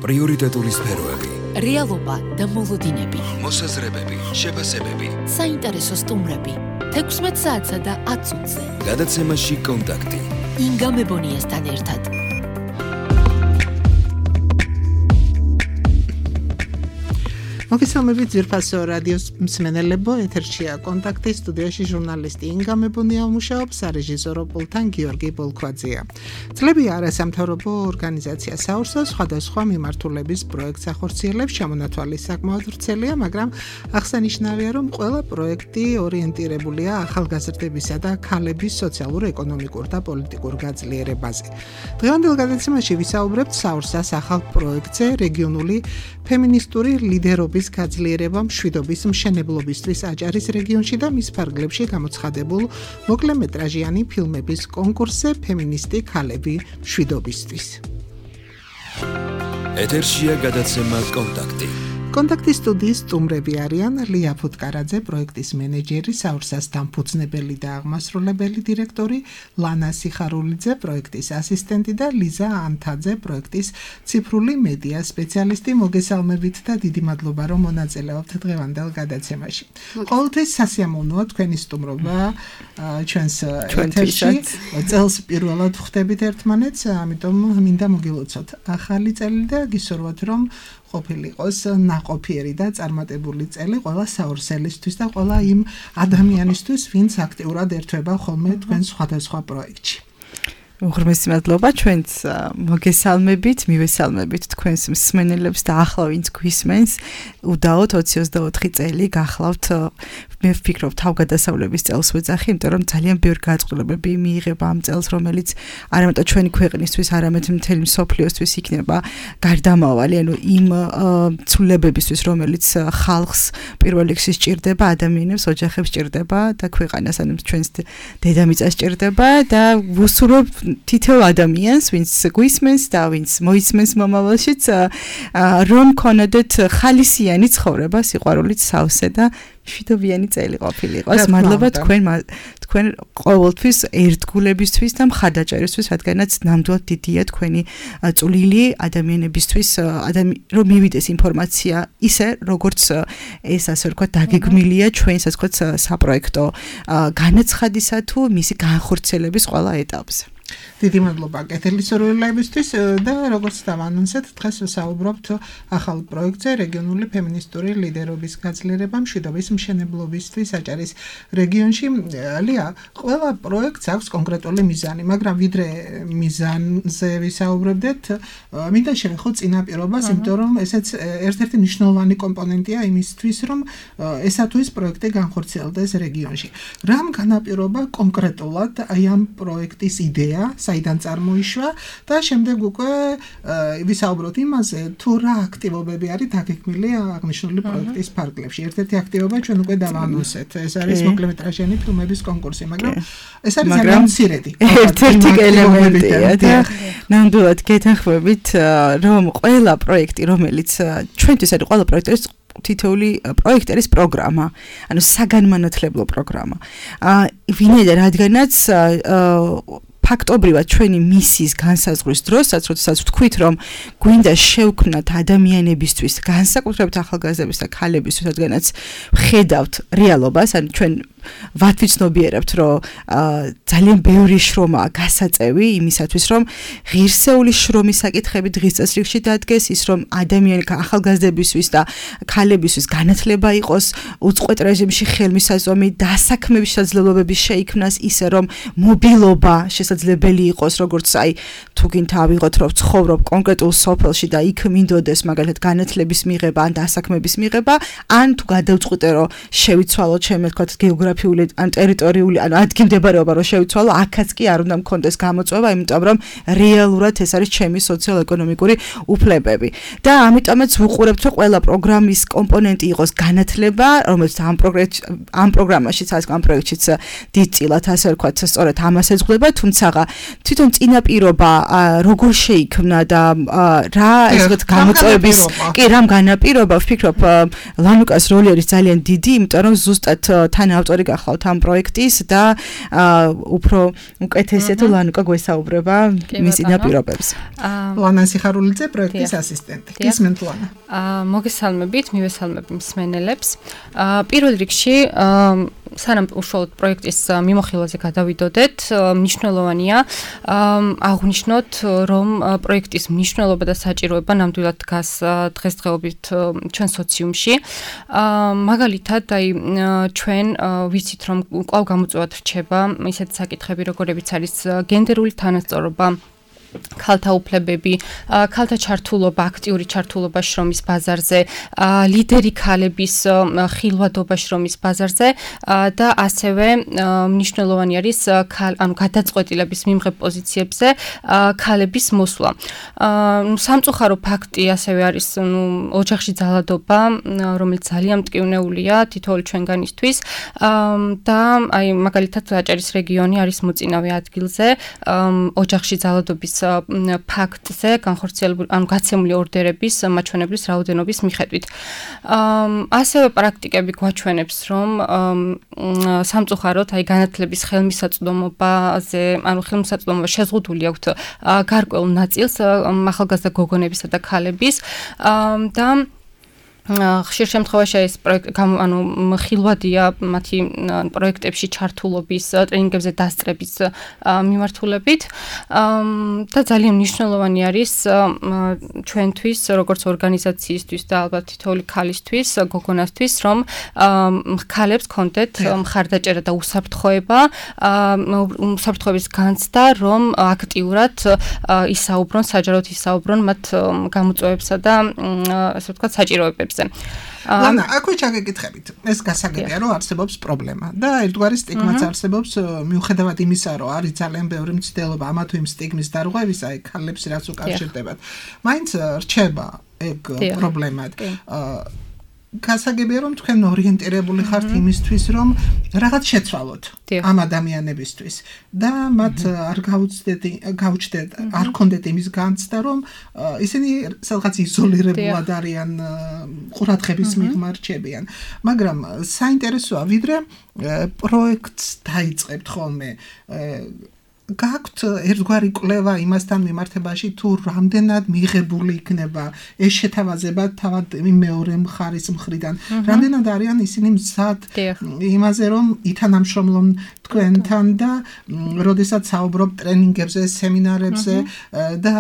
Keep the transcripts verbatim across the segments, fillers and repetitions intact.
პრიორიტეტული სფეროები, რეალობა და მოლოდინები, მოსაზრებები, შეფასებები, საინტერესო სტუმრები, თექვსმეტ საათსა და ათ წუთზე. გადაცემაში კონტაქტი. ინგა მებონიასთან ერთად. მოგესალმებით ძვირფასო რადიოს მსმენელებო, ეთერშია კონტაქტი, სტუდიაში ჟურნალისტი ინგა მებონია მუშაობს, სარეჟისორო პულტთან გიორგი ბოლქვაძეა. წლები არასამთავრობო ორგანიზაცია საურსა სხვადასხვა მიმართულების პროექტს ახორციელებს, ჩამონათვალი საკმაოდ ვრცელია, მაგრამ აღსანიშნავია, რომ ყველა პროექტი ორიენტირებულია ახალგაზრდებისა და ქალების სოციალურ-ეკონომიკურ და პოლიტიკურ გაძლიერებაზე. დღევანდელ გადაცემაში ვისაუბრებთ საურსას ახალ პროექტზე, რეგიონული ფემინისტური ლიდერობის გაძლიერება მშვიდობის მშენებლობისთვის აჭარის რეგიონში და მის ფარგლებში გამოცხადებულ მოკლემეტრაჟიანი ფილმების კონკურსზე ფემინისტი ქალები მშვიდობისთვის. ეთერშია გადაცემა კონტაქტი. კონტაქტის სტუდიის სტუმრები არიან ლია ფუტკარაძე, პროექტის მენეჯერი, საურსას დამფუძნებელი და აღმასრულებელი დირექტორი, ლანა სიხარულიძე, პროექტის ასისტენტი და ლიზა ანთაძე, პროექტის ციფრული მედია სპეციალისტი. მოგესალმებით და დიდი მადლობა, რომ მონაწილეობთ დღევანდელ გადაცემაში. ყოველთვის სასიამოვნოა თქვენი სტუმრობა ჩვენს ეთერში. წელს პირველად ხვდებით ერთმანეთს, ამიტომ მინდა მოგილოცოთ ახალი წელი და გისურვოთ, რომ ყოფილიყოს ნაყოფიერი და წარმატებული წელი ყველა საურსელისთვის და ყველა იმ ადამიანისთვის, ვინც აქტიურად ერთვება ხოლმე თქვენ სხვადასხვა პროექტში. უღრმესი მადლობა ჩვენც მოგესალმებით, მივესალმებით თქვენს მსმენელებს და ახლა ვინც გვისმენს, უდაოდ ოცი ოცდაოთხი წელი გახლავთ. მე ვფიქრობ თავგადასავლების წელს ვეძახი, იმიტომ რომ ძალიან ბევრი გაწყობლებები მიიღება ამ წელს, რომელიც არა მარტო ჩვენი ქვეყნისთვის, არამედ მთელი მსოფლიოსთვის იქნება გარდამავალი, ანუ იმ ცვლილებებისთვის, რომელიც ხალხს პირველ რიგში სჭირდება, ადამიანებს, ოჯახებს სჭირდება და ქვეყანას, ანუ ჩვენს დედამიწას სჭირდება და ვუსურვებ თითოეულ ადამიანს, ვინც გვისმენს და ვინც მოისმენს მომავალშიც, რომ ქონოდეთ ხალისიანი ცხოვრება, სიყვარულით სავსე და მშვიდობიანი წელი ყოფილიყოს. მადლობა თქვენ თქვენ ყოველთვის ერთგულებისთვის და მხარდაჭერისთვის, რადგანაც ნამდვილად დიდია თქვენი წვლილი ადამიანებისთვის, რომ მივიდეს ინფორმაცია ისე, როგორც ეს ასე ვთქვათ, დაგეგმილია ჩვენს ასე ვთქვათ საპროექტო განაცხადისა თუ მისი განხორციელების ყველა ეტაპზე. დიდი მადლობა კეთილი სურვილებისთვის და როგორც დავანონსეთ, დღეს ვსაუბრობთ ახალ პროექტზე, რეგიონული ფემინისტური ლიდერობის გაძლიერება მშვიდობის მშენებლობისთვის აჭარის რეგიონში. ლია, ყველა პროექტს აქვს კონკრეტული მიზანი, მაგრამ ვიდრე მიზანზე ვისაუბრებდეთ, მინდა შევეხოთ წინაპირობას, იმიტომ რომ ესეც ერთ-ერთი მნიშვნელოვანი კომპონენტია იმისთვის, რომ ესა თუ ის პროექტი განხორციელდეს რეგიონში. რამ განაპირობა კონკრეტულად აი ამ პროექტის იდეა, საიდან წარმოიშვა და შემდეგ უკვე ვისაუბროთ იმაზე, თუ რა აქტივობები არის დაგეგმილი აღნიშნული პროექტის ფარგლებში. ერთ-ერთი აქტივობა ჩვენ უკვე დავანონსეთ, ეს არის მოკლემეტრაჟიანი ფილმების კონკურსი, მაგრამ ეს არის ძალიან მცირედი. ერთ-ერთი ელემენტია და ნამდვილად გეთანხმებით, რომ ყველა პროექტი, რომელიც ჩვენთვის არის ყველა პროექტი არის თითოეული პროექტი არის პროგრამა, ანუ საგანმანათლებლო პროგრამა. ვინაიდან რადგანაც ფაქტობრივად ჩვენი მისიის განსაზღვრის დროსაც, როდესაც ვთქვით, რომ გვინდა შევქმნათ ადამიანებისთვის, განსაკუთრებით ახალგაზრდების და ქალებისთვის, რადგანაც ვხედავთ რეალობას, ანუ ჩვენ ვათვიცნობიერებთ, რომ ძალიან ბევრი შრომაა გასაწევი იმისათვის, რომ ღირსეული შრომის საკითხები დღის წესრიგში დადგეს, ის რომ ადამიანი ახალგაზრდებისთვის და ქალებისთვის განათლება იყოს უწყვეტ რეჟიმში ხელმისაწვდომი, დასაქმების შესაძლებლობები შეიქმნას, ისე რომ მობილობა შესაძლებელი იყოს, როგორც აი თუ გინდა ავიღოთ, რომ ცხოვრობ კონკრეტულ სოფელში და იქ მინდოდეს მაგალითად განათლების მიღება ან დასაქმების მიღება, ან თუ გადავწყვიტე, რომ შევიცვალო ჩემი თქვათ გეოგრაფიული ან ტერიტორიული ან ადგილმდებარეობა რომ შევიცვალო, აქაც კი არ უნდა მქონდეს გამოწვევა, იმიტომ რომ რეალურად ეს არის ჩემი სოციალ-ეკონომიკური უფლებები. და ამიტომაც ვუყურებთ, რომ ყველა პროგრამის კომპონენტი იყოს განათლება, რომელიც ამ პროგრამში ამ პროგრამაშიც არის ამ პროექტშიც დიდწილად ასე ვთქვათ, სწორედ ამას ეძღვნება, თუმცა თვითონ წინაპირობა როგორ შეიქმნა და რა ეს ვთქვათ გამოწვევების კი რამ განაპირობა, ვფიქრობ ლანუკას როლი არის ძალიან დიდი, იმიტომ რომ ზუსტად თან ავტორი ინიციატორი გახლავთ ამ პროექტის და უფრო უკეთესია თუ ლანუკა გვესაუბრება მის წინაპირობებს. ლანა სიხარულიძე პროექტის ასისტენტი. გისმენთ ლანა. მოგესალმებით, მივესალმები მსმენელებს. პირველ რიგში სანამ უშუალოდ პროექტის მიმოხილვაზე გადავიდოდეთ, მნიშვნელოვანია აღვნიშნოთ, რომ პროექტის მნიშვნელობა და საჭიროება ნამდვილად დგას დღესდღეობით ჩვენ სოციუმში. მაგალითად, აი ჩვენ ვიცით, რომ კვლავ გამოწვევად რჩება ისეთი საკითხები, როგორებიც არის გენდერული თანასწორობა, ქალთა უფლებები, ქალთა ჩართულობა, აქტიური ჩართულობა შრომის ბაზარზე, ლიდერი ქალების ხილვადობა შრომის ბაზარზე და ასევე მნიშვნელოვანი არის ანუ გადაწყვეტილების მიმღებ პოზიციებზე ქალების მოსვლა. სამწუხარო ფაქტი ასევე არის ოჯახში ძალადობა, რომელიც ძალიან მტკივნეულია თითოეული ჩვენგანისთვის და აი მაგალითად აჭარის რეგიონი არის მოწინავე ადგილზე ოჯახში ძალადობის ფაქტზე განხორციელებული ანუ გაცემული ორდერების მაჩვენებლის რაოდენობის მიხედვით. ასევე პრაქტიკები გვაჩვენებს, რომ სამწუხაროდ აი განათლების ხელმისაწვდომობაზე, ანუ ხელმისაწვდომობა შეზღუდული აქვთ გარკვეულ ნაწილს ახალგაზრდა გოგონებისა და ქალების და ხშირ შემთხვევაში ეს პროექტი ანუ ხილვადია მათი პროექტებში ჩართულობის ტრენინგებზე დასწრების მიმართულებით და ძალიან მნიშვნელოვანი არის ჩვენთვის როგორც ორგანიზაციისთვის და ალბათ თითოეული ქალისთვის, გოგონასთვის, რომ ქალებს კონდეთ მხარდაჭერა და უსაფრთხოება, უსაფრთხოების განცდა, რომ აქტიურად ისაუბრონ, საჯაროდ ისაუბრონ მათ გამოწვევებსა და ასე ვთქვათ საჭიროებებზე. ლანა, აქვე ჩაგეკითხებით. ეს გასაგებია, რომ არსებობს პრობლემა და ერთგვარი სტიგმაც არსებობს, მიუხედავად იმისა, რომ არის ძალიან ბევრი მცდელობა ამა თუ იმ სტიგმის დარღვევისა, აი ქალებს რაც უკავშირდებათ. მაინც რჩება ეგ პრობლემად. გასაგებია, რომ თქვენ ორიენტირებული ხართ იმისთვის, რომ რაღაც შეცვალოთ ამ ადამიანებისთვის და მათ არ გაუჩნდეთ, გაუჩნდეთ, არ ქონდეთ იმის განცდა, რომ ისინი სადღაც იზოლირებულად არიან, ყურადღების მიღმა რჩებიან. მაგრამ საინტერესოა, ვიდრე პროექტს დაიწყებთ ხოლმე გაქვთ ერთგვარი კვლევა იმასთან მიმართებაში თუ რამდენად მიღებული იქნება ეს შეთავაზება თავად მეორე მხარის მხრიდან რამდენად არიან ისინი მზად იმაზე რომ ითანამშრომლონ თქვენთან და როდესაც საუბრობ ტრენინგებზე, სემინარებზე და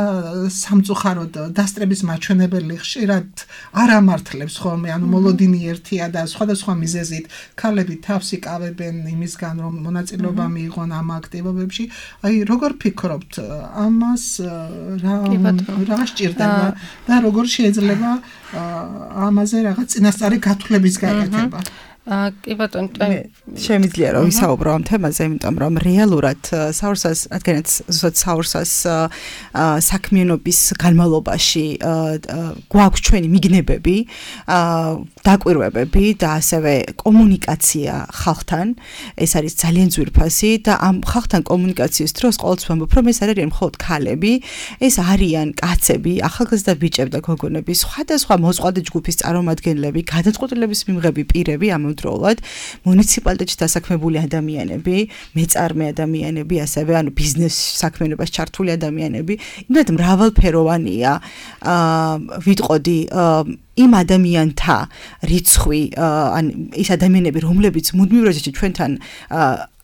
სამწუხაროდ დასწრების მაჩვენებელი ხშირად არ ამართლებს ხოლმე, ანუ მოლოდინი ერთია და სხვადასხვა მიზეზით ქალები თავს იკავებენ იმისგან რომ მონაწილეობა მიიღონ ამ აქტივობებში. აი როგორ ფიქრობთ ამას რა რა სჭირდება და როგორ შეიძლება ამაზე რაღაც წინასწარი გათვლების გაკეთება? კი ბატონო, შემიძლია რომ ვისაუბრო ამ თემაზე, იმიტომ რომ რეალურად საურსას, რადგანაც ზუსტად საურსას საქმიანობის განმავლობაში გვაქვს ჩვენი მიგნებები, დაკვირვებები და ასევე კომუნიკაცია ხალხთან, ეს არის ძალიან ძვირფასი და ამ ხალხთან კომუნიკაციის დროს ყოველთვის ვამბობ, რომ ეს არ არიან მხოლოდ ქალები, ეს არიან კაცები, ახალგაზრდა ბიჭები და გოგონები, სხვადასხვა მოწყვლადი ჯგუფის წარმომადგენლები, გადაწყვეტილების მიმღები პირები, ამავდროულად მუნიციპალიტეტში დასაქმებული ადამიანები, მეწარმე ადამიანები, ასევე ანუ ბიზნეს საქმიანობაში ჩართული ადამიანები, იმდენად მრავალფეროვანია, ვიტყოდი იმ ადამიანთა რიცხვი, ან ის ადამიანები, რომლებიც მუდმივ რეჟიმში ჩვენთან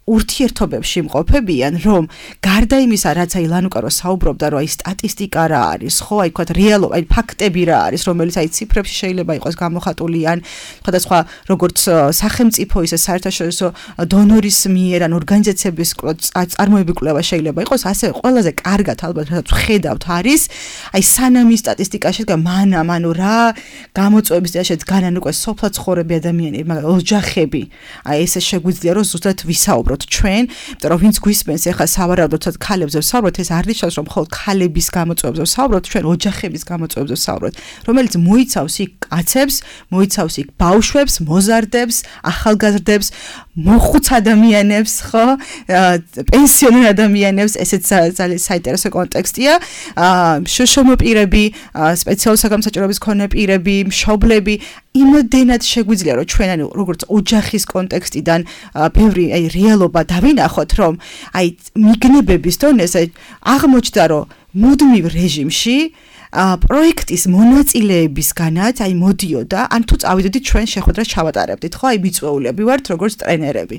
ურთიერთობებში მყოფებიან, რომ გარდა იმისა, რაც აი ლანუკა რო საუბრობდა, რომ აი სტატისტიკა რა არის, ხო, აი თქვათ რეალობა, აი ფაქტები რა არის, რომელიც აი ციფრებში შეიძლება იყოს გამოხატული ან სხვადასხვა როგორც სახელმწიფო ისე საერთაშორისო დონორის მიერ ან ორგანიზაციების წარმოების კვლევა შეიძლება იყოს, ასევე ყველაზე კარგად ალბათ რაც ხედავთ არის, აი სანამ ის სტატისტიკა შედგა მანამ, ანუ რა გამოწვევების და შედგან ან უკვე სოფლად ცხოვრები ადამიანები, მაგრამ ოჯახები, აი ესე შეგვიძლია რომ ზუსტად ვისაუბროთ ჩვენ, იმიტომ რომ ვინც გვისმენს ეხლა სავარაუდოდ ქალებზე ვსაუბრობთ, ეს არ ნიშნავს რომ მხოლოდ ქალების გამოწვევებზე ვსაუბრობთ, ჩვენ ოჯახების გამოწვევებზე ვსაუბრობთ, რომელიც მოიცავს იქ კაცებს, მოიცავს იქ ბავშვებს, მოზარდებს, ახალგაზრდებს, მოხუც ადამიანებს, ხო, პენსიონერ ადამიანებს, ესეც ძალიან საინტერესო კონტექსტია, შოშომო პირები, სპეციალური საგამსაჭიროების მქონე პირები, მშობლები, იმოდენად შეგვიძლია რომ ჩვენ ანუ როგორც ოჯახის კონტექსტიდან ბევრი აი რეალობა დავინახოთ რომ აი მიგნებების დონეზე აღმოჩნდა რომ მუდმივ რეჟიმში პროექტის მონაწილეებისგანაც აი მოდიოდა ან თუ წავიდოდით ჩვენ შეხვედრას ჩავატარებდით ხო აი მიწვეულები ვართ როგორც ტრენერები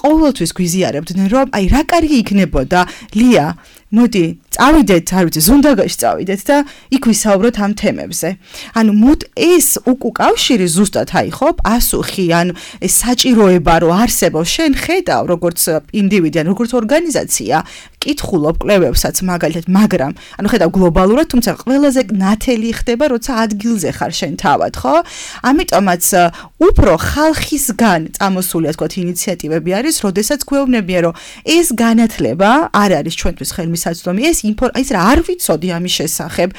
ყოველთვის გვიზიარებდნენ რომ აი რა კარგი იქნებოდა ლია მოდი წავიდეთ არ ვიცი ზუნდაგაში წავიდეთ და იქ ვისაუბროთ ამ თემებზე ანუ მოდ ეს უკავშირი ზუსტად აი ხო პასუხი ან ეს საჭიროება რომ არსებობს შენ ხედავ როგორც ინდივიდი ან როგორც ორგანიზაცია კითხულობ კვლევებსაც მაგალითად მაგრამ ანუ ხედავ გლობალურად თუმცა ყველაზე ნათელი ხდება როცა ადგილზე ხარ შენ თავად ხო ამიტომაც უფრო ხალხისგან წამოსული ასე ვთქვათ ინიციატივები არის როდესაც გვეუბნებიან რომ ეს განათლება არ არის ჩვენთვის ხელმისაწვდომი ეს ის რა არ ვიცოდი ამის შესახებ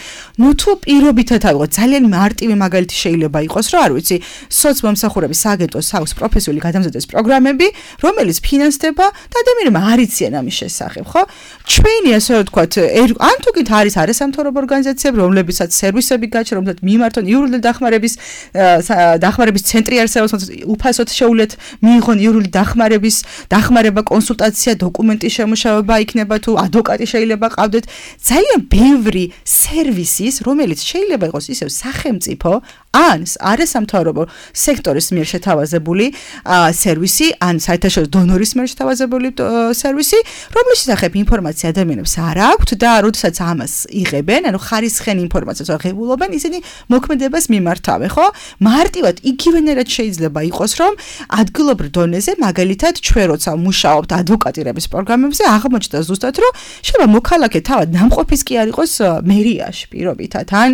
ნუ თუ პირობითად ავიღოთ ძალიან მარტივი მაგალითი შეიძლება იყოს რომ არ ვიცი სოციმომსახურების აგენტოს აქვს პროფესიული გადამზადეს პროგრამები რომელიც ფინანსდება და ადამიანებმა არ იციან ამის შესახებ ხო ჩვენი ასე ვთქვათ ან თუ კიდე არის არასამთავრობო ორგანიზაციები რომლებიცაც სერვისები გაჩერდა რომელთაც მიმართონ იურული დახმარების დახმარების ცენტრი არსებობს უფასოდ შეუძლიათ მიიღონ იურული დახმარების დახმარება კონსულტაცია დოკუმენტის შემუშავება იქნება თუ ადვოკატი შეიძლება ყავდეთ ძალიან ბევრი სერვისის რომელიც შეიძლება იყოს ისევ სახელმწიფო ან არასამთავრობო სექტორის მიერ შეთავაზებული სერვისი ან საერთაშორისო დონორის მიერ შეთავაზებული სერვისი რომლის შესახებ ინფორმაცია ადამიანებს არ აქვთ და როდესაც ამას იღებენ ანუ ხარისხენ ინფორმაციას აღებულობენ ისინი მოქმედებას მიმართავენ ხო მარტივად იგივენერად შეიძლება იყოს რომ ადგილობრივ დონეზე მაგალითად ჩვენ როცა მუშაობთ ადვოკატირების პროგრამებზე აღმოჩნდა ზუსტად რომ შეიძლება მოქალაქე თავად ნამყოფის კი არ იყოს მერიაში პირობითად ან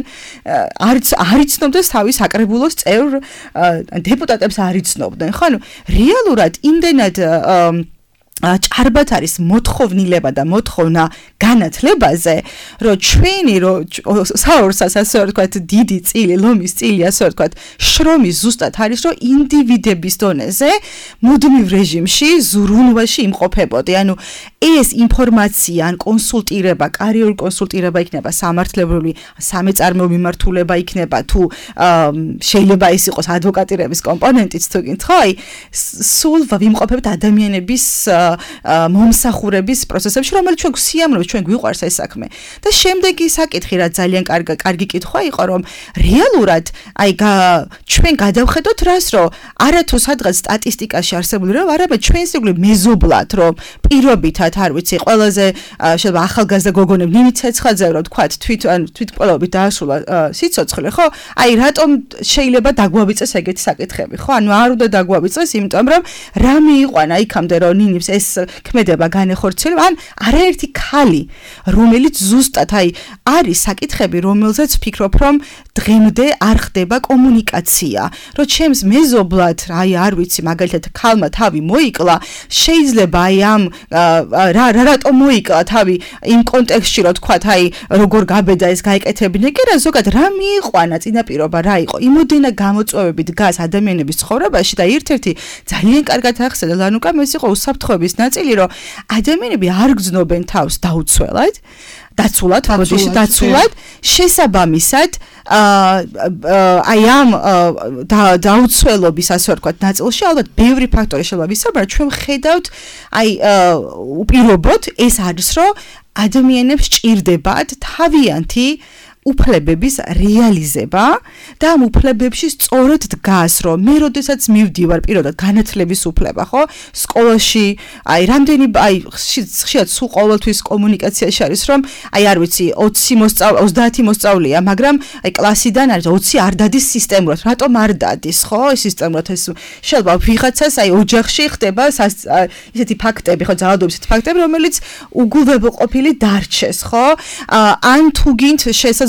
არც არ იცნობდეს თავის აკრებულოს წევრ დეპუტატებს არ იცნობდნენ ხო ანუ რეალურად იმდენად ჭარბად არის მოთხოვნილება და მოთხოვნა განათლებაზე, რომ ჩვენი საორსას ასე ვთქვათ დიდი წილი, ლომის წილი ასე ვთქვათ, შრომის ზუსტად არის, რომ ინდივიდების დონეზე მუდმივ რეჟიმში, ზრუნვაში იმყოფებოდი. ანუ ეს ინფორმაცია ან კონსულტირება, კარიერული კონსულტირება იქნება სამართლებრივი, სამეწარმეო მიმართულება იქნება თუ შეიძლება ის იყოს ადვოკატირების კომპონენტიც თუ გინდ, ხო? აი სულ ვიმყოფებთ ადამიანების მომსახურების პროცესებში, რომელიც ჩვენ გვსიამოვნებთ, ჩვენ გვიყვარს ეს საქმე. და შემდეგი საკითხი, რა ძალიან კარგი კარგი კითხვა იყო, რომ რეალურად აი ჩვენ გადავხედოთ რას, რომ არათუ სადღაც სტატისტიკაში არსებული რომ არამედ ჩვენ სიგული მეზობლად, რომ პირობითად არ ვიცი, ყველაზე შეიძლება ახალგაზრდა გოგონები ნინი ცეცხაძე რომ თქვათ თვით ან თვითმკვლელობით დაასრულა სიცოცხლე, ხო? აი რატომ შეიძლება დაგვავიწეს ეგეთი საკითხები, ხო? ანუ არ უნდა დაგვავიწეს, იმიტომ რომ რა მიიყვანა იქამდე რომ ნინებს ეს ქმედება განეხორციელება, ან არაერთი ქალი, რომელიც ზუსტად აი არის საკითხები, რომელზეც ვფიქრობ, რომ დღემდე არ ხდება კომუნიკაცია, რომ ჩემს მეზობლად, აი არ ვიცი, მაგალითად ქალმა თავი მოიკლა, შეიძლება აი ამ რა რატომ მოიკლა თავი იმ კონტექსტში, რომ თქვათ, აი როგორ გაბედა ეს გაიკეთებინა, კი რა ზოგადად რა მიიყვანა წინაპირობა რა იყო, იმოდენა გამოწვევები დგას ადამიანების ცხოვრებაში და ერთ-ერთი ძალიან კარგად ახსენე ლანუკამ ეს იყო უსაფრთხოების ნაწილი, რომ ადამიანები არ გრძნობენ თავს დაუცველად, დაცულად, ბოდიში დაცულად, შესაბამისად, აი ამ დაუცველობის ასე ვთქვათ ნაწილში ალბათ ბევრი ფაქტორი შეიძლება ვისაუბროთ, ჩვენ ვხედავთ, აი უპირობოდ ეს არის, რომ ადამიანებს ჭირდებათ თავიანთი უფლებების რეალიზება და ამ უფლებებში სწორად დგას, რომ მე როდესაც მივდივარ პირადად განათლების უფლება, ხო? სკოლაში, აი რამდენი აი ხშირად სულ ყოველთვის კომუნიკაციაში არის, რომ აი არ ვიცი, ოცი მოსწავლე, ოცდაათი მოსწავლეა, მაგრამ აი კლასიდან არის ოცი არ დადის სისტემურად. რატომ არ დადის, ხო? ეს სისტემურად ეს შეიძლება ვიღაცას აი ოჯახში ხდება ისეთი ფაქტები, ხო, ძალადობის ისეთი ფაქტები, რომელიც უგულებელყოფილი დარჩეს, ხო? ან თუ გინდ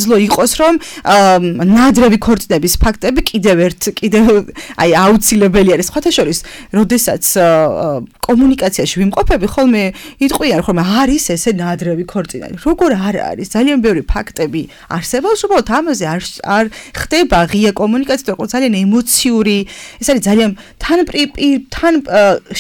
შესაძლოა იყოს რომ ნადრევი ქორწინების ფაქტები კიდევ ერთ კიდევ აი აუცილებელი არის სხვათა შორის როდესაც კომუნიკაციაში ვიმყოფები ხოლმე იტყვიან ხოლმე არის ესე ნადრევი ქორწინება როგორ არ არის ძალიან ბევრი ფაქტები არსებობს უბრალოდ ამაზე არ არ ხდება ღია კომუნიკაცია თორე ძალიან ემოციური ეს არის ძალიან თან თან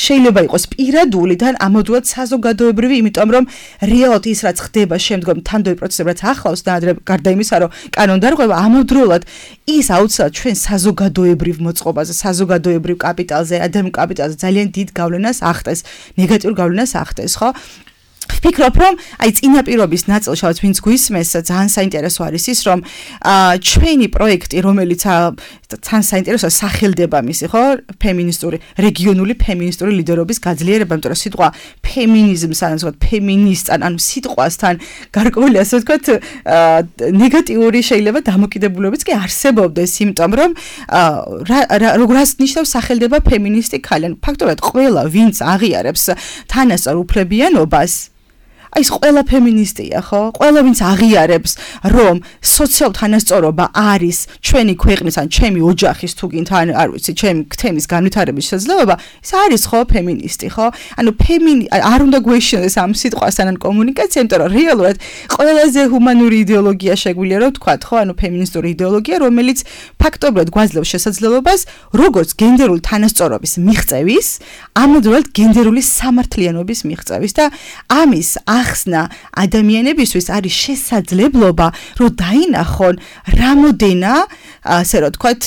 შეიძლება იყოს პირადული თან ამოდულად საზოგადოებრივი იმიტომ რომ რეალურად ის რაც ხდება შემდგომ თანდოი პროცესები რაც ახლავს ნადრევ გარდა იმისა, რომ კანონდარღვევა ამავდროულად ის აუცილებლად ჩვენ საზოგადოებრივ მოწყობაზე, საზოგადოებრივ კაპიტალზე, ადამიანურ კაპიტალზე ძალიან დიდ გავლენას ახდენს, ნეგატიურ გავლენას ახდენს, ხო? ვფიქრობ, რომ აი წინაპირობის ნაწილში, რაც ვინც გვისმენს, ძალიან საინტერესო არის ის, რომ ჩვენი პროექტი, რომელიც ძალიან საინტერესოა, სახელდება მისი, ხო, ფემინისტური, რეგიონული ფემინისტური ლიდერობის გაძლიერება, იმიტომ რომ სიტყვა ფემინიზმს, ან ასე ვთქვათ, ფემინისტ, ანუ სიტყვასთან გარკვეული, ასე ვთქვათ, ნეგატიური შეიძლება დამოკიდებულებიც კი არსებობდეს, იმიტომ რომ რას ნიშნავს სახელდება ფემინისტი ქალი? ანუ ფაქტობრივად ყველა, ვინც აღიარებს თანასწორ უფლებიანობას, აი ეს ყველა ფემინისტია, ხო? ყველა ვინც აღიარებს, რომ სოციალურ თანასწორობა არის ჩვენი ქვეყნის ან ჩემი ოჯახის თუ გინდა ან არ ვიცი, ჩემი თემის განვითარების შესაძლებლობა, ეს არის ხო ფემინისტი, ხო? ანუ ფემინი არ უნდა გვეშინოს ამ სიტყვასთან ან კომუნიკაცია, იმიტომ რომ რეალურად ყველაზე ჰუმანური იდეოლოგია შეგვიძლია რომ ვთქვათ, ხო? ანუ ფემინისტური იდეოლოგია, რომელიც ფაქტობრივად გვაძლევს შესაძლებლობას, როგორც გენდერული თანასწორობის მიღწევის, ამავდროულად გენდერული სამართლიანობის მიღწევის და ამის ახსნა ადამიანებისთვის არის შესაძლებლობა, რომ დაინახონ რამოდენა, ასე რომ ვთქვათ,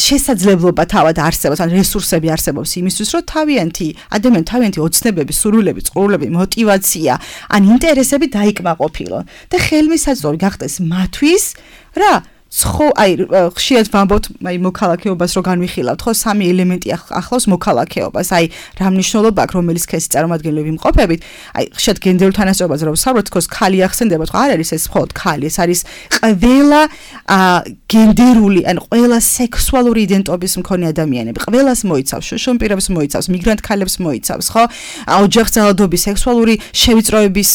შესაძლებლობა თავად არსებობს, ან რესურსები არსებობს იმისთვის, რომ თავიანთი ადამიანი თავიანთი ოცნებები, სურვილები, წყურვილები, мотиваცია, ან ინტერესები დაიკმაყოფილონ და ხელმისაწვდომი გახდეს მათთვის რა ხო აი ხშირად ვამბობთ აი მოქალაქეობას რო განვიხილავთ ხო სამი ელემენტი ახლავს მოქალაქეობას აი რა მნიშვნელობა აქვს რომელიც ქესი წარმომადგენლები ვიმყოფებით აი ხშირად გენდერულ თანასწორობაზე რო ვსაუბრობთ თქოს ქალი ახსენდებათ ხო არ არის ეს მხოლოდ ქალი ეს არის ყველა გენდერული ან ყველა სექსუალური იდენტობის მქონე ადამიანები ყველას მოიცავს შუშუმ პირებს მოიცავს მიგრანტ ქალებს მოიცავს ხო ოჯახზალადობის სექსუალური შევიწროების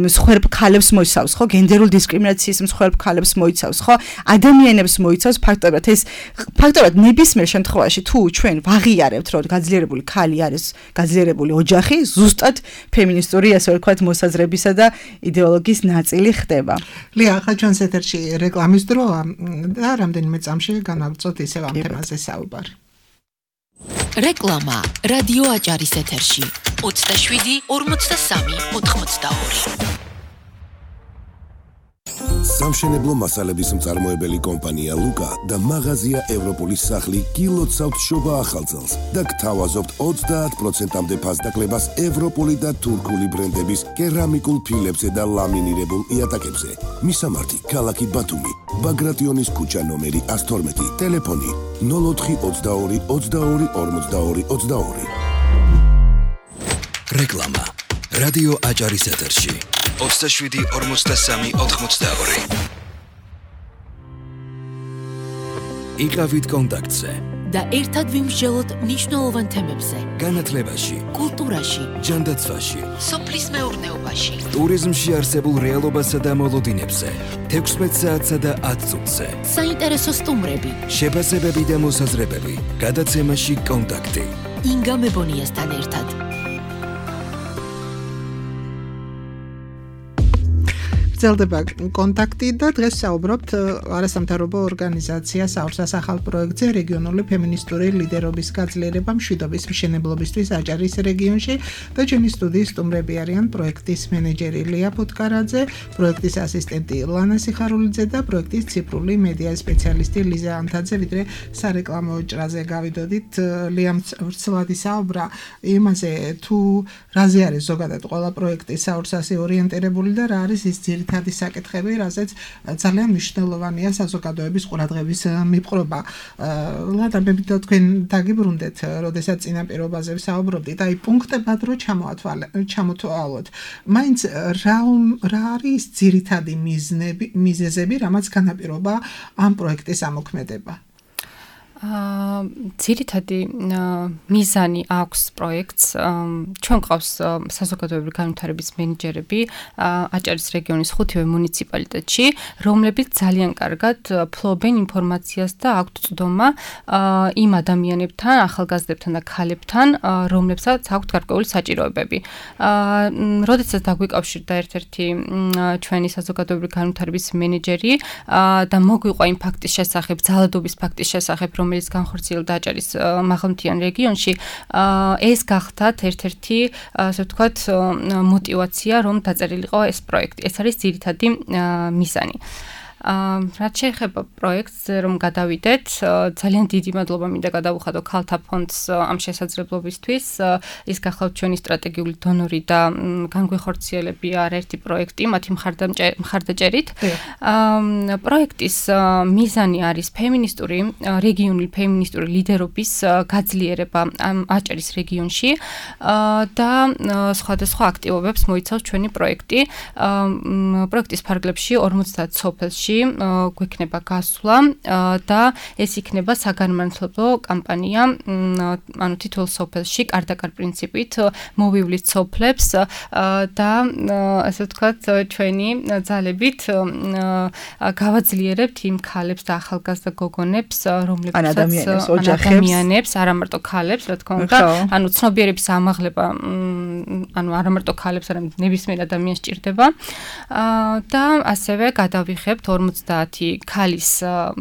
მსხვერპ ქალებს მოიცავს ხო გენდერულ დისკრიმინაციის მსხვერპ ქალებს მოიცავს ხო ადამიანებს მოიცავს ფაქტობრივად ეს ფაქტობრივად ნებისმიერ შემთხვევაში თუ ჩვენ ვაღიარებთ რომ გაძლიერებული ქალი არის გაძლიერებული ოჯახი ზუსტად ფემინისტური ასე ვთქვათ მოსაზრებისა და იდეოლოგიის ნაწილი ხდება. ლია, ახლა ჩვენს ეთერში რეკლამის დროა და რამდენიმე წამში განაგრძოთ ისევ ამ თემაზე საუბარი. რეკლამა რადიო აჭარის ეთერში ოცდაშვიდი ორმოცდასამი ოთხმოცდაორი სამშენებლო მასალების მწარმოებელი კომპანია ლუკა და მაღაზია ევროპოლის სახლი გილოცავთ შობა ახალწელს და გთავაზობთ ოცდაათ პროცენტამდე ფასდაკლებას ევროპული და თურქული ბრენდების კერამიკულ ფილებზე და ლამინირებულ იატაკებზე. მისამართი ქალაქი ბათუმი, ბაგრატიონის ქუჩა ნომერი ას თორმეტი, ტელეფონი ნულ ოთხი ოცდაორი ოცდაორი ორმოცდაორი ოცდაორი. რეკლამა რადიო აჭარის ეთერში ოცდაშვიდი ორმოცდასამი ოთხმოცდაორი. იყავით კონტაქტზე და ერთად ვიმსჯელოთ მნიშვნელოვან თემებზე. განათლებაში, კულტურაში, ჯანდაცვაში, სოფლის მეურნეობაში, ტურიზმში არსებულ რეალობასა და მოლოდინებზე, თექვსმეტ საათსა და ათ წუთზე. საინტერესო სტუმრები, შეფასებები და მოსაზრებები, გადაცემაში კონტაქტი. ინგა მებონიასთან ერთად. გრძელდება კონტაქტი და დღეს საუბრობთ არასამთავრობო ორგანიზაცია საურსას ახალ პროექტზე რეგიონული ფემინისტური ლიდერობის გაძლიერება მშვიდობის მშენებლობისთვის აჭარის რეგიონში და ჩვენი სტუდიის სტუმრები არიან პროექტის მენეჯერი ლია ფუტკარაძე, პროექტის ასისტენტი ლანა სიხარულიძე და პროექტის ციფრული მედია სპეციალისტი ლიზა ანთაძე. ვიდრე სარეკლამო ჭრაზე გავიდოდით, ლიამ ვრცლად ისაუბრა იმაზე თუ რაზე არის ზოგადად ყველა პროექტი საურსასი ორიენტირებული და რა არის ის ძირითადი თადი საკითხები, რასაც ძალიან მნიშვნელოვანია საზოგადოების ყურადღების მიპყრობა. ლადა მე მინდა თქვენ დაგიბრუნდეთ, როდესაც წინაპირობაზე ვსაუბრობდით, აი პუნქტებად რო ჩამოთვალოთ. მაინც რა რა არის ძირითადი მიზნები, მიზეზები, რამაც განაპირობა ამ პროექტის ამოქმედება? აა ძირითადი მიზანი აქვს პროექტს. ჩვენ ყავს საზოგადოებრივი განვითარების მენეჯერები აჭარის რეგიონის ხუთივე მუნიციპალიტეტში, რომლებიც ძალიან კარგად ფლობენ ინფორმაციას და აქვთ წვდომა იმ ადამიანებთან, ახალგაზრდებთან და ქალებთან, რომლებსაც აქვთ გარკვეული საჭიროებები. აა როდესაც დაგვიკავშირდა ერთ-ერთი ჩვენი საზოგადოებრივი განვითარების მენეჯერი და მოგვიყვა იმ ფაქტის შესახებ, ძალადობის ფაქტის შესახებ, რომ რომელიც განხორციელდა აჭარის მაღალმთიან რეგიონში, ეს გახდათ ერთ-ერთი, ასე ვთქვათ, мотивация, რომ დაწერილიყო ეს პროექტი. ეს არის ძირითადი მიზანი. რაც შეეხება პროექტს, რომ გადავიდეთ, ძალიან დიდი მადლობა მინდა გადავუხადო ქალთა ფონდს ამ შესაძლებლობისთვის. ის გახლავთ ჩვენი სტრატეგიული დონორი და განგვეხორციელები არაერთი პროექტი, მათი მხარდაჭერით. პროექტის მიზანი არის ფემინისტური, რეგიონული ფემინისტური ლიდერობის გაძლიერება აჭარის რეგიონში და სხვადასხვა აქტივობებს მოიცავს ჩვენი პროექტი. პროექტის ფარგლებში ორმოცდაათ სოფელში გვექნება გასვლა და ეს იქნება საგანმანათლებლო კამპანია, ანუ თითოეულ სოფელში კარდაკარ პრინციპით მოვივლით სოფლებს და ასე ვთქვათ, ჩვენი ძალებით გავაძლიერებთ იმ ქალებს და ახალგაზრდა გოგონებს, რომლებსაც ადამიანებს, არა მარტო ქალებს, რა თქმა უნდა, ანუ ცნობიერების ამაღლება, ანუ არა მარტო ქალებს, არამედ ნებისმიერ ადამიანს სჭირდება და ასევე გადავიხებთ ორმოცდაათი ქალის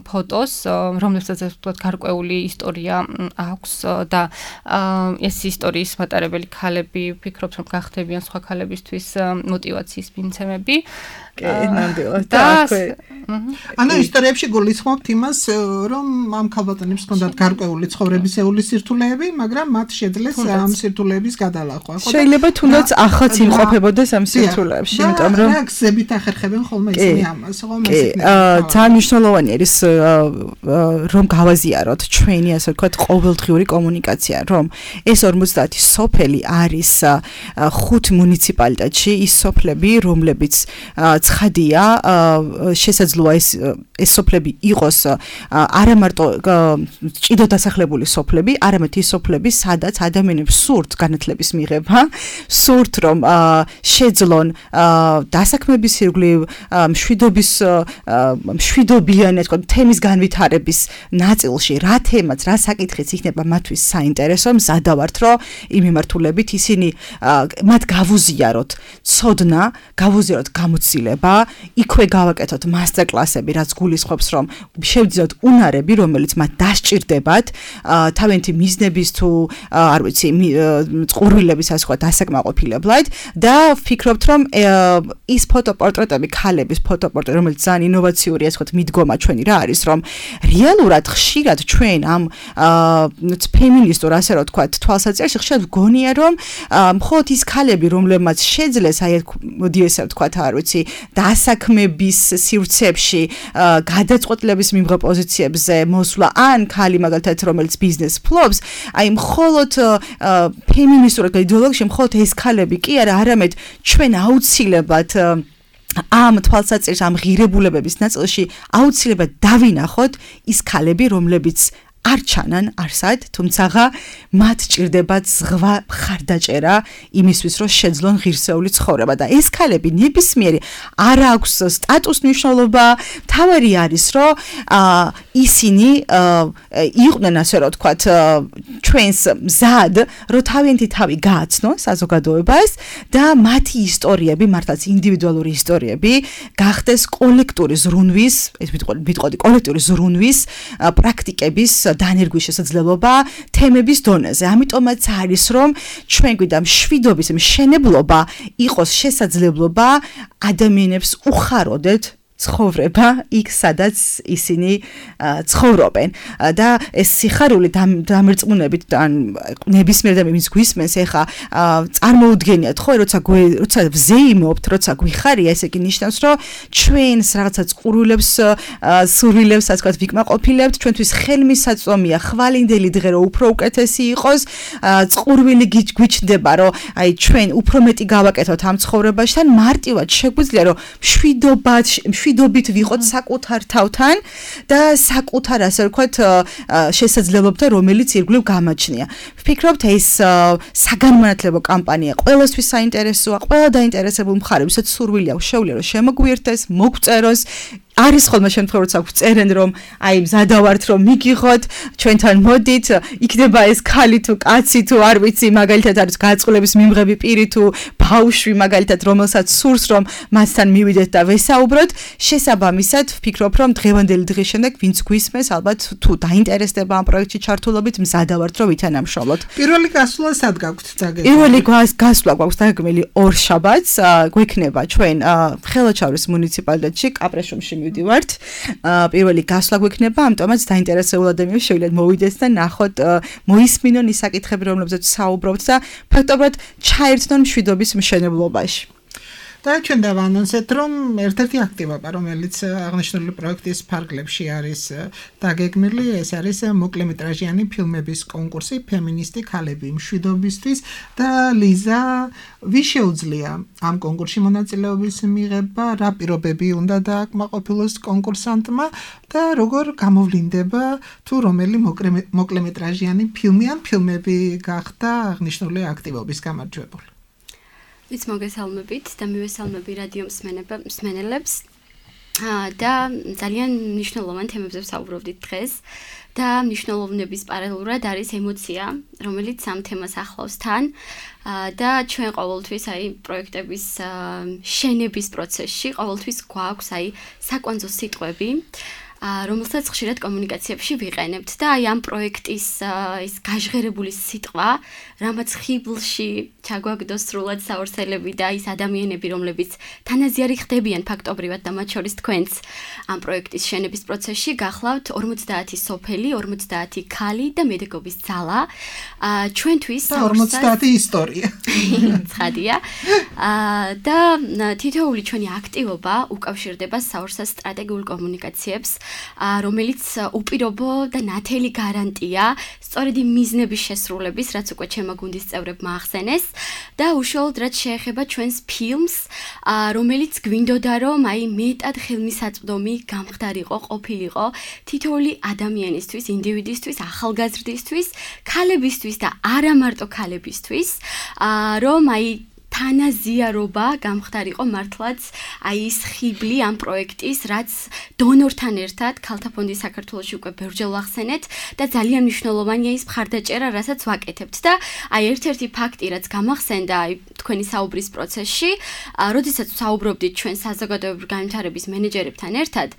ფოტოს, რომლებსაც ვთქვათ გარკვეული ისტორია აქვს და ეს ისტორიის მატარებელი ქალები ვფიქრობ, რომ გახდებიან სხვა ქალებისთვის мотиваციის მიცემები. და ანუ ისტორიებში გულისხმობთ იმას, რომ ამ ქალბატონებს ჰქონდათ გარკვეული ცხოვრებისეული სირთულეები, მაგრამ მათ შეძლეს ამ სირთულეების გადალახვა. შეიძლება თუნდაც ახაც იმყოფებოდეს ამ სირთულეებში, იმიტომ რომ რა გზებით ახერხებენ ხოლმე ისინი ამას, ხოლმე ისინი. ძალიან მნიშვნელოვანი არის რომ გავაზიაროთ ჩვენი, ასე ვთქვათ, ყოველდღიური კომუნიკაცია, რომ ეს ორმოცდაათი სოფელი არის ხუთ მუნიციპალიტეტში ის სოფლები, რომლებიც ცხადია, შესაძლოა ეს ეს სოფლები იყოს არა მარტო ჭიდო დასახლებული სოფლები, არამედ ის სოფლები, სადაც ადამიანებს სურთ განათლების მიღება, სურთ რომ შეძლონ დასაქმების ირგვლივ, მშვიდობის მშვიდობიანი, ასე ვთქვათ, თემის განვითარების ნაწილში, რა თემაც, რა საკითხიც იქნება მათთვის საინტერესო, მზადა ვართ, რომ იმ მიმართულებით ისინი მათ გავუზიაროთ ცოდნა, გავუზიაროთ გამოცდილება, იქვე გავაკეთოთ მასტერკლასები, რაც გულისხმობს, რომ შევძლიოთ უნარები, რომელიც მათ დასჭირდებათ, თავიანთი მიზნების თუ არ ვიცი, წყურვილების ასე ვთქვათ, დასაკმაყოფილებლად და ვფიქრობთ, რომ ის ფოტოპორტრეტები, ქალების ფოტოპორტრეტები, რომელიც ძალიან ინოვაციური, ასე ვთქვათ, მიდგომა ჩვენი რა არის, რომ რეალურად ხშირად ჩვენ ამ ფემინისტურ, ასე რომ ვთქვათ, თვალსაჩინოში ხშირად ვგონია, რომ მხოლოდ ის ქალები, რომლებმაც შეძლეს აი მოდი ესე ვთქვათ, არ ვიცი, დასაქმების სივრცეებში, გადაწყვეტილების მიმღებ პოზიციებზე მოსვლა, ან ქალი მაგალითად, რომელიც ბიზნეს ფლობს, აი მხოლოდ ფემინისტურ იდეოლოგიაში მხოლოდ ეს ქალები კი არა, არამედ ჩვენ აუცილებლად ამ თვალსაჩინში, ამ ღირებულებების ნაწილში აუცილებლად დავინახოთ ის ქალები, რომლებიც არ ჩანან არსად, თუმცა მათ ჭირდებათ ზღვა მხარდაჭერა იმისთვის, რომ შეძლონ ღირსეული ცხოვრება და ეს ქალები ნებისმიერი არ აქვს სტატუს მნიშვნელობა, თავარი არის, რომ ისინი იყვნენ, ასე რომ ვთქვათ, ჩვენს მზად, რომ თავიანთი თავი გააცნონ საზოგადოებას და მათი ისტორიები, მართლაც ინდივიდუალური ისტორიები, გახდეს კოლექტიური ზრუნვის, ეს ვიტყოდი, კოლექტიური ზრუნვის პრაქტიკების დანერგვის შესაძლებლობა თემების დონეზე. ამიტომაც არის, რომ ჩვენ გვიდა მშვიდობის მშენებლობა იყოს შესაძლებლობა ადამიანებს უხაროდეთ ცხოვრება იქ, სადაც ისინი ცხოვრობენ და ეს სიხარული დამერწმუნებით ან ნებისმიერ ადამიანს გვისმენს, ეხა წარმოუდგენიათ ხო, როცა როცა ვზეიმობთ, როცა გვიხარია, ესე იგი ნიშნავს, რომ ჩვენს რაღაცა წყურვილებს, სურვილებს, ასე ვთქვათ, ვიკმაყოფილებთ, ჩვენთვის ხელმისაწვდომია ხვალინდელი დღე, რომ უფრო უკეთესი იყოს, წყურვილი გვიჩნდება, რომ აი ჩვენ უფრო მეტი გავაკეთოთ ამ ცხოვრებაში, თან მარტივად შეგვიძლია, რომ მშვიდობა მშვიდობით ვიყოთ საკუთარ თავთან და საკუთარ, ასე ვთქვათ, შესაძლებლობთან, რომელიც ირგვლივ გამაჩნია. ვფიქრობთ, ეს საგანმანათლებლო კამპანია ყველასთვის საინტერესოა, ყველა დაინტერესებულ მხარეს, ვისაც სურვილი აქვს, შეუძლია რომ შემოგვიერთდეს, მოგწეროს, არის ხოლმე შემთხვევა როცა წერენ რომ აი მზადავართ რომ მიგიღოთ ჩვენთან მოდით იქნება ეს ქალი თუ კაცი თუ არ ვიცი მაგალითად არის გაწყლების მიმღები პირი თუ ბავშვი მაგალითად რომელსაც სურს რომ მასთან მივიდეთ და ვესაუბროთ შესაბამისად ვფიქრობ რომ დღევანდელი დღის შემდეგ ვინც გვისმენს ალბათ თუ დაინტერესდება ამ პროექტში ჩართულობით მზადავართ რომ ვითანამშრომლოთ პირველი გასვლა სად გაქვთ დაგეგმილი პირველი გასვლა გვაქვს დაგეგმილი ორ შაბათს გვექნება ჩვენ ხელოჩავრის მუნიციპალიტეტში კაპრეშუმში მივდივართ პირველი გასვლა გვექნება ამიტომაც დაინტერესებული ადამიანები შეგვიძლიათ მოვიდეს და ნახოთ მოისმინონ ის საკითხები რომლებზეც საუბრობთ და ფაქტობრივად ჩაერთონ მშვიდობის მშენებლობაში და ჩვენ დავანონსეთ რომ ერთ-ერთი აქტივობა რომელიც აღნიშნული პროექტის ფარგლებში არის დაგეგმილი ეს არის მოკლემეტრაჟიანი ფილმების კონკურსი ფემინისტი ქალები მშვიდობისთვის და ლიზა ვის შეუძლია ამ კონკურსში მონაწილეობის მიღება რა პირობები უნდა დააკმაყოფილოს კონკურსანტმა და როგორ გამოვლინდება თუ რომელი მოკლემეტრაჟიანი ფილმი ან ფილმები გახდა აღნიშნული აქტივობის გამარჯვებული ვიც მოგესალმებით და მივესალმები რადიო მსმენელებს და ძალიან მნიშვნელოვან თემებზე ვსაუბრობდით დღეს და მნიშვნელოვნების პარალელურად არის ემოცია, რომელიც ამ თემას ახლავს თან და ჩვენ ყოველთვის აი პროექტების შენების პროცესში ყოველთვის გვაქვს აი საკვანძო სიტყვები რომელსაც ხშირად კომუნიკაციებში ვიყენებთ და აი ამ პროექტის ის გაჟღერებული სიტყვა, რამაც ხიბლში ჩაგვაგდოს სრულად საორცელები და ის ადამიანები, რომლებიც თანაზიარი ხდებიან ფაქტობრივად და მათ შორის თქვენც ამ პროექტის შენების პროცესში გახლავთ ორმოცდაათი სოფელი, ორმოცდაათი ქალი და მედეგობის ძალა. ჩვენთვის ორმოცდაათი ისტორია. ცხადია. და თითოეული ჩვენი აქტივობა უკავშირდება საორცას სტრატეგიულ კომუნიკაციებს რომელიც უპირობო და ნათელი გარანტია სწორედ იმ მიზნების შესრულების, რაც უკვე ჩემო გუნდის წევრებმა ახსენეს და უშუალოდ რაც შეეხება ჩვენს ფილმს, რომელიც გვინდოდა რომ აი მეტად ხელმისაწვდომი გამხდარიყო, ყოფილიყო თითოეული ადამიანისთვის, ინდივიდისთვის, ახალგაზრდისთვის, ქალებისთვის და არა მარტო ქალებისთვის, რომ აი თანაზიარობა გამხდარიყო მართლაც აი ის ხიბლი ამ პროექტის, რაც დონორთან ერთად ქალთა ფონდი საქართველოში უკვე ბევრჯერ ახსენეთ და ძალიან მნიშვნელოვანია ის მხარდაჭერა, რასაც ვაკეთებთ და აი ერთ-ერთი ფაქტი, რაც გამახსენდა აი თქვენი საუბრის პროცესში, როდესაც საუბრობდით ჩვენ საზოგადოებრივი განვითარების მენეჯერებთან ერთად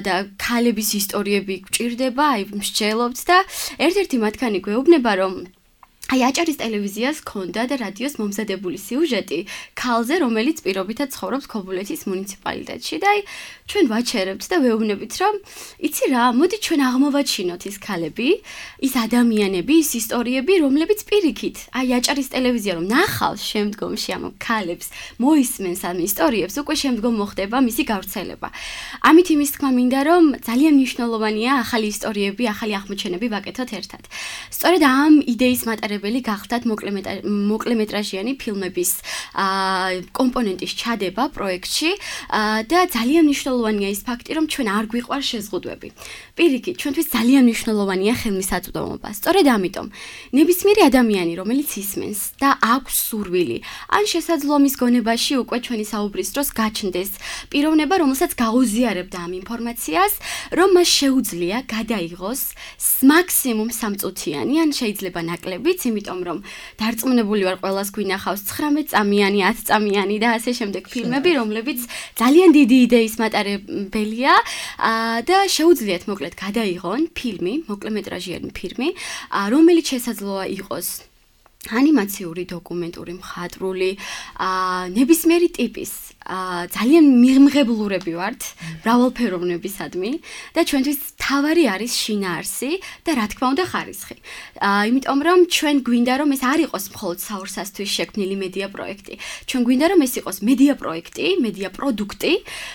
და ქალების ისტორიები გვჭირდება, აი მსჯელობთ და ერთ-ერთი მათგანი გვეუბნება, რომ აი აჭარის ტელევიზიას ქონდა და რადიოს მომზადებული სიუჟეტი ქალზე, რომელიც პირობითად ცხოვრობს ქობულეთის მუნიციპალიტეტში და აი ჩვენ ვაჩერებთ და ვეუბნებით, რომ იცი რა, მოდი ჩვენ აღმოვაჩინოთ ის ქალები, ის ადამიანები, ის ისტორიები, რომლებიც პირიქით, აი აჭარის ტელევიზია რომ ნახავს შემდგომში ამ ქალებს, მოისმენს ამ ისტორიებს, უკვე შემდგომ მოხდება მისი გავრცელება. ამით იმის თქმა მინდა, რომ ძალიან მნიშვნელოვანია ახალი ისტორიები, ახალი აღმოჩენები ვაკეთოთ ერთად. სწორედ ამ იდეის მატარებელი გახდათ მოკლემეტრაჟიანი ფილმების კომპონენტის ჩადება პროექტში და ძალიან მნიშვნელოვანია ის ფაქტი, რომ ჩვენ არ გვიყვარს შეზღუდვები. პირიქით, ჩვენთვის ძალიან მნიშვნელოვანია ხელმისაწვდომობა. სწორედ ამიტომ ნებისმიერი ადამიანი, რომელიც ისმენს და აქვს სურვილი, ან შესაძლოა მის გონებაში უკვე ჩვენი საუბრის დროს გაჩნდეს პიროვნება, რომელსაც გაუზიარებდა ამ ინფორმაციას, რომ მას შეუძლია გადაიღოს მაქსიმუმ სამწუთიანი, ან შეიძლება ნაკლებიც, იმიტომ რომ დარწმუნებული ვარ ყველას გვინახავს ცხრამეტ წამიანი, ათ წამიანი და ასე შემდეგ ფილმები, რომლებიც ძალიან დიდი იდეის მატარებელია და შეუძლიათ მოკლედ გადაიღონ ფილმი, მოკლემეტრაჟიანი ფილმი, რომელიც შესაძლოა იყოს ანიმაციური, დოკუმენტური, მხატვრული, ნებისმიერი ტიპის ძალიან მიღმღებლურები ვართ მრავალფეროვნებისადმი და ჩვენთვის თავარი არის შინაარსი და რა თქმა უნდა ხარისხი. იმიტომ რომ ჩვენ გვინდა რომ ეს არ იყოს მხოლოდ საორსასთვის შექმნილი მედია პროექტი. ჩვენ გვინდა რომ ეს იყოს მედია პროექტი, მედია პროდუქტი,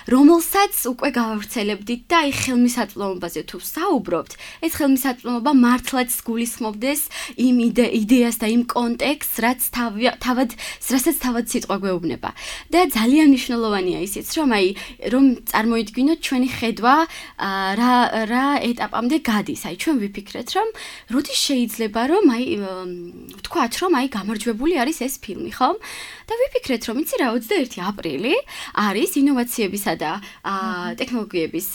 რომელსაც უკვე გავავრცელებდით და აი ხელმისაწვდომობაზე თუ საუბრობთ, ეს ხელმისაწვდომობა მართლაც გულისხმობდეს იმ იდეას და იმ კონტექსტს, რაც თავად რასაც თავად სიტყვა გვეუბნება. და ძალიან მნიშვნელოვანია ისიც, რომ აი რომ წარმოიდგინოთ ჩვენი ხედვა რა რა ეტაპამდე გადის. აი ჩვენ ვიფიქრეთ, რომ როდის შეიძლება რომ აი ვთქვათ, რომ აი გამარჯვებული არის ეს ფილმი, ხო? და ვიფიქრეთ, რომ იცი რა, ოცდაერთი აპრილი არის ინოვაციებისა და ტექნოლოგიების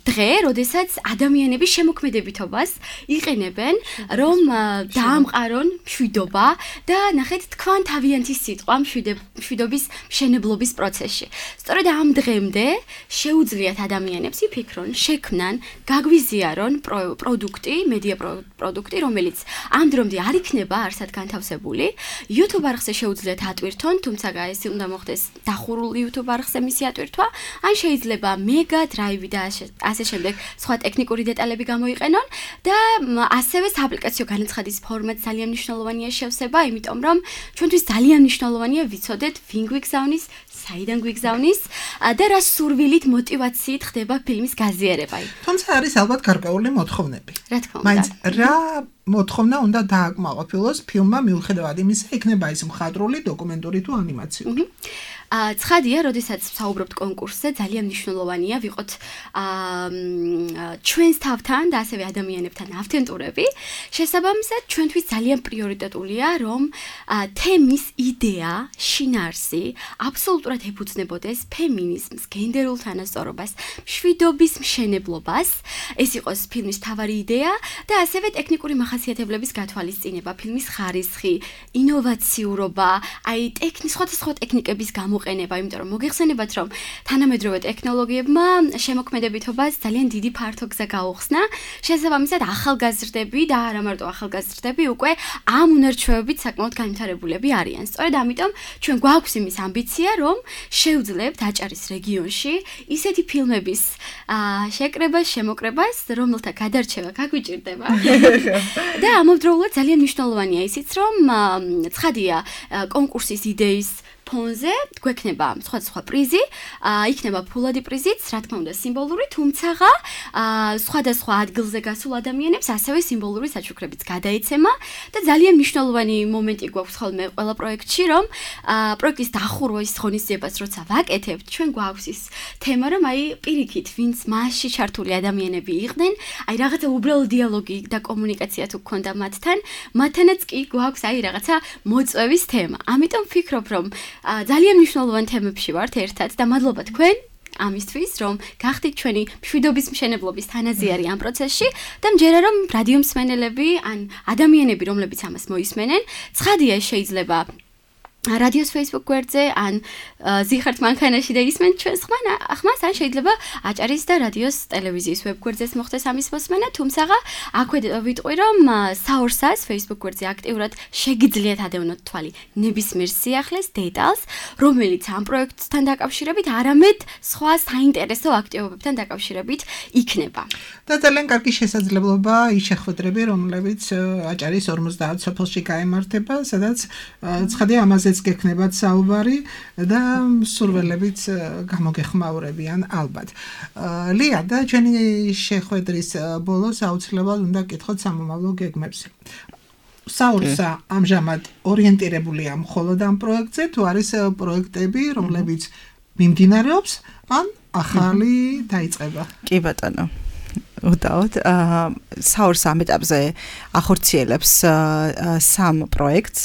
დღე, როდესაც ადამიანები შემოქმედებითობას იყენებენ, რომ დაამყარონ მშვიდობა და ნახეთ თქვან თავიანთი სიტყვა მშვიდობის მშენებლობის პროცესში. სწორედ ამ დღემდე შეუძლიათ ადამიანებს იფიქრონ, შექმნან, გაგვიზიარონ პროდუქტი, მედია პროდუქტი, რომელიც ამ დრომდე არ იქნება არსად განთავსებული. YouTube არხზე შეუძლიათ ატვირთონ, თუმცა ეს უნდა მოხდეს დახურულ YouTube არხზე მისი ატვირთვა, ან შეიძლება Mega Drive და ასე შემდეგ სხვა ტექნიკური დეტალები გამოიყენონ და ასევე სააპლიკაციო განაცხადის ფორმატ ძალიან მნიშვნელოვანია შევსება, იმიტომ რომ ჩვენთვის ძალიან მნიშვნელოვანია ვიცოდეთ ვინ გვიგზავნის, საიდან გვიგზავნის და რა სურვილით, მოტივაციით ხდება ფილმის გაზიარება. თუმცა არის ალბათ გარკვეული მოთხოვნები. რა თქმა უნდა. მაინც რა მოთხოვნა უნდა დააკმაყოფილოს ფილმმა მიუხედავად იმისა, იქნება ის მხატვრული, დოკუმენტური თუ ანიმაციური. ცხადია, როდესაც ვსაუბრობთ კონკურსზე, ძალიან მნიშვნელოვანია ვიყოთ ჩვენს თავთან და ასევე ადამიანებთან ავთენტურები. შესაბამისად, ჩვენთვის ძალიან პრიორიტეტულია, რომ თემის იდეა, შინაარსი აბსოლუტურად ეფუძნებოდეს ფემინიზმს, გენდერულ თანასწორობას, მშვიდობის მშენებლობას. ეს იყოს ფილმის მთავარი იდეა და ასევე ტექნიკური მახასიათებლების გათვალისწინება, ფილმის ხარისხი, ინოვაციურობა, აი ტექნის სხვადასხვა ტექნიკების გამო ყენება, იმიტომ რომ მოგეხსენებათ, რომ თანამედროვე ტექნოლოგიებმა შემოქმედებითობას ძალიან დიდი ფართო გზა გაუხსნა. შესაბამისად, ახალგაზრდები და არა მარტო ახალგაზრდები უკვე ამ უნარჩვევებით საკმაოდ განვითარებულები არიან. სწორედ ამიტომ ჩვენ გვაქვს იმის ამბიცია, რომ შევძლებთ აჭარის რეგიონში ისეთი ფილმების შეკრებას, შემოკრებას, რომელთა გადარჩევა გაგვიჭირდება. და ამავდროულად ძალიან მნიშვნელოვანია ისიც, რომ ცხადია კონკურსის იდეის ფონზე გვექნება სხვადასხვა პრიზი, იქნება ფულადი პრიზიც, რა თქმა უნდა სიმბოლური, თუმცა სხვადასხვა ადგილზე გასულ ადამიანებს ასევე სიმბოლური საჩუქრებიც გადაეცემა და ძალიან მნიშვნელოვანი მომენტი გვაქვს ხოლმე ყველა პროექტში, რომ პროექტის დახურვის ღონისძიებას როცა ვაკეთებთ, ჩვენ გვაქვს ის თემა, რომ აი პირიქით, ვინც მასში ჩართული ადამიანები იყვნენ, აი რაღაცა უბრალო დიალოგი და კომუნიკაცია თუ გქონდა მათთან, მათთანაც კი გვაქვს აი რაღაცა მოწვევის თემა. ამიტომ ვფიქრობ, რომ ძალიან მნიშვნელოვან თემებში ვართ ერთად და მადლობა თქვენ ამისთვის, რომ გახდით ჩვენი მშვიდობის მშენებლობის თანაზიარი ამ პროცესში და მჯერა რომ რადიო მსმენელები ან ადამიანები, რომლებიც ამას მოისმენენ, ცხადია შეიძლება რადიოს Facebook გვერდზე ან ზიხართ მანქანაში და ისმენ ჩვენს ხმას, ან შეიძლება აჭარის და რადიოს ტელევიზიის ვებ გვერდზეც მოხდეს ამის მოსმენა, თუმცა აქვე ვიტყვი, რომ საორსას Facebook გვერდზე აქტიურად შეგიძლიათ ადევნოთ თვალი ნებისმიერ სიახლეს, დეტალს, რომელიც ამ პროექტთან დაკავშირებით, არამედ სხვა საინტერესო აქტივობებთან დაკავშირებით იქნება. და ძალიან კარგი შესაძლებლობა ის შეხვედრები, რომლებიც აჭარის ორმოცდაათ სოფელში გაემართება, სადაც ცხადია ამაზე გექნებათ საუბარი და სურველებით გამოგეხმაურებიან ალბათ. ლია და ჩვენი შეხვედრის ბოლოს აუცილებლად უნდა გკითხოთ სამომავლო გეგმებს. საურსა ამჟამად ორიენტირებულია მხოლოდ ამ პროექტზე, თუ არის პროექტები, რომლებიც მიმდინარეობს, ან ახალი დაიწყება? კი ბატონო. უდაოდ საურს ამ ეტაპზე ახორციელებს სამ პროექტს.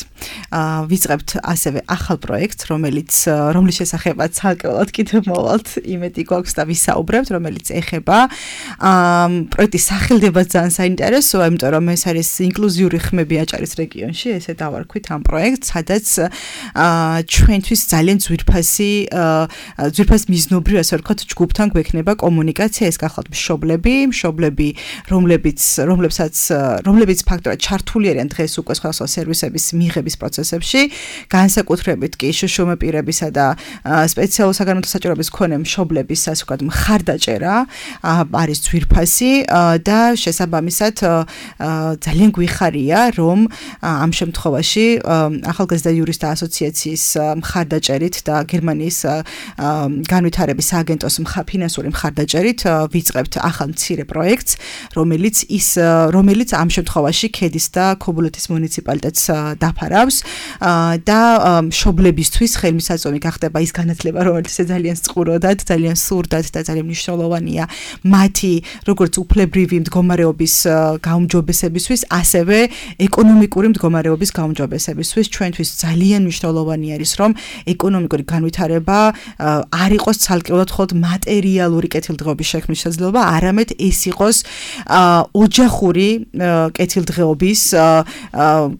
ვიწყებთ ასევე ახალ პროექტს, რომელიც რომლის შესახებაც ცალკეულად კიდევ მოვალთ, იმედი გვაქვს და ვისაუბრებთ, რომელიც ეხება პროექტის სახელდება ძალიან საინტერესოა, იმიტომ რომ ეს არის ინკლუზიური ხმები აჭარის რეგიონში, ესე დავარქვით ამ პროექტს, სადაც ჩვენთვის ძალიან ძვირფასი ძვირფას მიზნობრივ, ასე ვთქვათ, ჯგუფთან გვექნება კომუნიკაცია, ეს გახლავთ მშობლები, მშობლები, რომლებიც რომლებსაც რომლებიც ფაქტორად ჩართული არიან დღეს უკვე სხვადასხვა სერვისების მიღების პროცესებში, განსაკუთრებით კი შშმ პირებისა და სპეციალურ საგანმანათლებლო საჭიროების მქონე მშობლების, ასე ვთქვათ, მხარდაჭერა არის ძვირფასი და შესაბამისად ძალიან გვიხარია, რომ ამ შემთხვევაში ახალგაზრდა იურისტთა ასოციაციის მხარდაჭერით და გერმანიის განვითარების სააგენტოს ფინანსური მხარდაჭერით ვიწყებთ ახალ მცირე პროექტს, რომელიც ის რომელიც ამ შემთხვევაში ქედის და ქობულეთის მუნიციპალიტეტს დაფარავს და მშობლებისთვის ხელმისაწვდომი გახდება ის განათლება, რომელიც ძალიან სწორად, ძალიან სურდად და ძალიან მნიშვნელოვანია მათი როგორც უფლებრივი მდგომარეობის გაუმჯობესებისთვის, ასევე ეკონომიკური მდგომარეობის გაუმჯობესებისთვის. ჩვენთვის ძალიან მნიშვნელოვანი არის, რომ ეკონომიკური განვითარება არ იყოს ცალკეულად მხოლოდ მატერიალური კეთილდღეობის შექმნის შესაძლებლობა, არამედ ეს იყოს ოჯახური კეთილდღეობის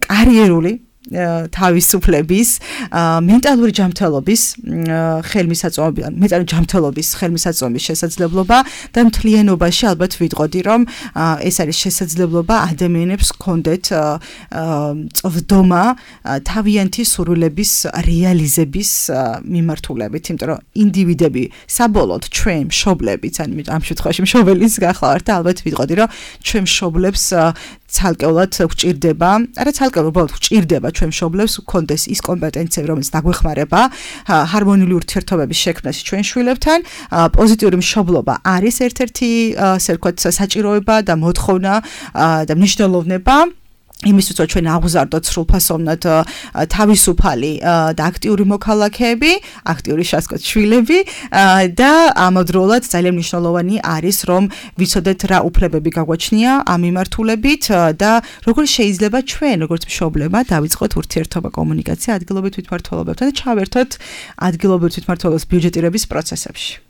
კარიერული თავისუფლების, მენტალური ჯანმრთელობის ხელმისაწვდომი, მენტალური ჯანმრთელობის ხელმისაწვდომის შესაძლებლობა და მთლიანობაში ალბათ ვიტყოდი, რომ ეს არის შესაძლებლობა ადამიანებს ჰქონდეთ წვდომა თავიანთი სურვილების რეალიზების მიმართულებით, იმიტომ რომ ინდივიდები საბოლოოდ ჩვენ მშობლებიც, ან ამ შემთხვევაში მშობელის გახლავართ და ალბათ ვიტყოდი, რომ ჩვენ მშობლებს ცალკეულად გვჭირდება, არა ცალკეულად, უბრალოდ გვჭირდება ჩვენ მშობლებს გქონდეს ის კომპეტენციები, რომელიც დაგვეხმარება ჰარმონიული ურთიერთობების შექმნაში ჩვენ შვილებთან. პოზიტიური მშობლობა არის ერთ-ერთი, ასე ვთქვათ, საჭიროება და მოთხოვნა და მნიშვნელოვნება. იმისთვის რომ ჩვენ აღვზარდოთ სრულფასოვნად თავისუფალი და აქტიური მოქალაქეები, აქტიური შასკოთ შვილები და ამავდროულად ძალიან მნიშვნელოვანი არის რომ ვიცოდეთ რა უფლებები გაგვაჩნია ამ მიმართულებით და როგორ შეიძლება ჩვენ როგორც მშობლებმა დავიწყოთ ურთიერთობა კომუნიკაცია ადგილობრივ თვითმმართველობებთან და ჩავერთოთ ადგილობრივ თვითმმართველობის ბიუჯეტირების პროცესებში.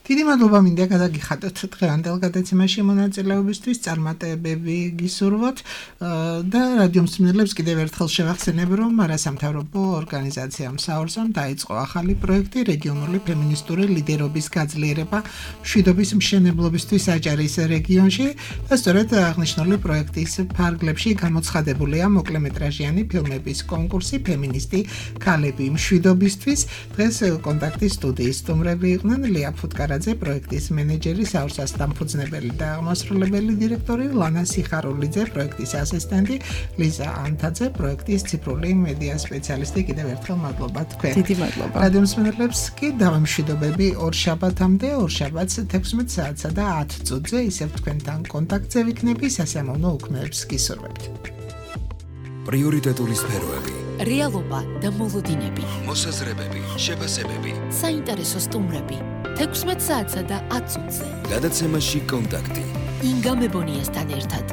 დიდი მადლობა მინდა გადაგიხადოთ დღევანდელ გადაცემაში მონაწილეობისთვის, წარმატებები გისურვოთ და რადიო მსმენელებს კიდევ ერთხელ შევახსენებ, რომ არასამთავრობო ორგანიზაციამ საორსამ დაიწყო ახალი პროექტი რეგიონული ფემინისტური ლიდერობის გაძლიერება მშვიდობის მშენებლობისთვის აჭარის რეგიონში და სწორედ აღნიშნული პროექტის ფარგლებში გამოცხადებულია მოკლემეტრაჟიანი ფილმების კონკურსი ფემინისტი ქალები მშვიდობისთვის. დღეს კონტაქტის სტუდიის სტუმრები იყვნენ ლია ფუტკარა პროექტის მენეჯერი, საორსას დამფუძნებელი და აღმასრულებელი დირექტორი ლანა სიხარულიძე, პროექტის ასისტენტი ლიზა ანთაძე, პროექტის ციფრული მედია სპეციალისტი. კიდევ ერთხელ მადლობა თქვენ. დიდი მადლობა. რადიო მსმენელებს კი დავამშვიდობები ორ შაბათამდე, ორ შაბათს თექვსმეტ საათსა და ათ წუთზე ისევ თქვენთან კონტაქტზე ვიქნები, სასიამოვნო უქმეებს გისურვებთ. პრიორიტეტული სფეროები, რეალობა და მოლოდინები, მოსაზრებები, შეფასებები, საინტერესო სტუმრები. თექვსმეტ საათსა და ათ წუთზე. გადაცემაში კონტაქტი. ინგა მებონიასთან ერთად.